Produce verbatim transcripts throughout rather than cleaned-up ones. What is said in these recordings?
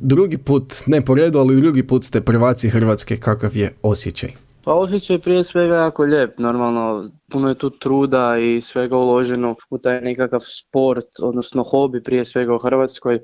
Drugi put, ne po redu, ali drugi put ste prvaci Hrvatske, kakav je osjećaj? Pa osjećaj je prije svega jako lijep, normalno puno je tu truda i svega uloženo u taj nekakav sport, odnosno hobi prije svega u Hrvatskoj.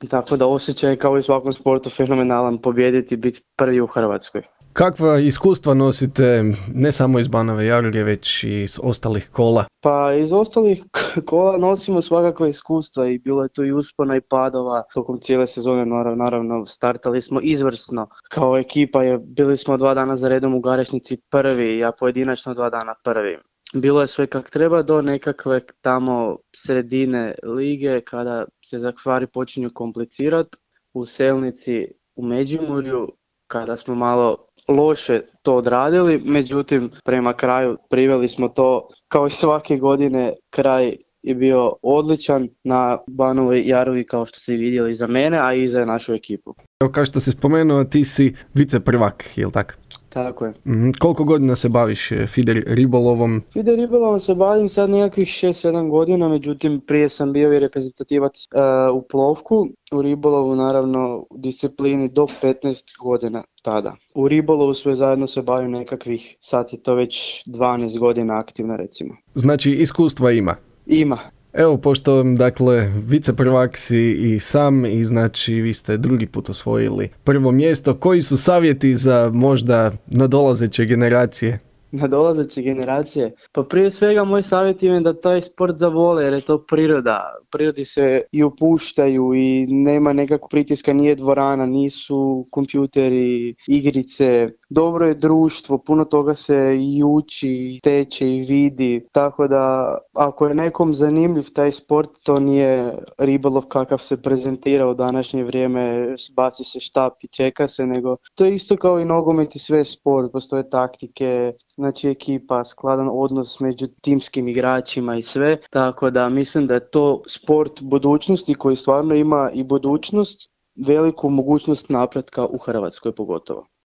Tako da osjećaj je kao i u svakom sportu fenomenalan, pobijediti i biti prvi u Hrvatskoj. Kakva iskustva nosite ne samo iz Banove Jaruge, već i iz ostalih kola? Pa iz ostalih kola nosimo svakakva iskustva i bilo je tu i uspona i padova. Tokom cijele sezone naravno startali smo izvrsno. Kao ekipa je, bili smo dva dana za redom u Garešnici prvi, ja pojedinačno dva dana prvi. Bilo je sve kak treba do nekakve tamo sredine lige kada se stvari počinju komplicirati. U Selnici, u Međimurju, kada smo malo loše to odradili, međutim prema kraju priveli smo to kao i svake godine, kraj je bio odličan na Banovoj Jarugi kao što ste vidjeli za mene, a i za našu ekipu. Evo kao što si spomenuo, ti si vice prvak, jel tako? Tako je. Mm, koliko godina se baviš feeder ribolovom? Feeder ribolovom se bavim sad nekakvih šest sedam godina, međutim prije sam bio i reprezentativac uh, u plovku, u ribolovu naravno u disciplini do petnaest godina tada. U ribolovu sve zajedno se bavim nekakvih, sad je to već dvanaest godina aktivno recimo. Znači iskustva ima? Ima. Evo, pošto, dakle, viceprvak si i sam i znači vi ste drugi put osvojili prvo mjesto. Koji su savjeti za možda nadolazeće generacije? Nadolazeće generacije? Pa prije svega moj savjet je da taj sport zavole jer je to priroda. Prirodi se i upuštaju i nema nekakvog pritiska, nije dvorana, nisu kompjuteri, igrice. Dobro je društvo, puno toga se i uči, teče i vidi. Tako da ako je nekom zanimljiv taj sport, to nije ribolov kakav se prezentira u današnje vrijeme, baci se štap i čeka se, nego to je isto kao i nogomet i sve sport, postoje taktike, znači ekipa, skladan odnos među timskim igračima i sve, tako da mislim da je to sport budućnosti koji stvarno ima i budućnost, veliku mogućnost napretka u Hrvatskoj pogotovo.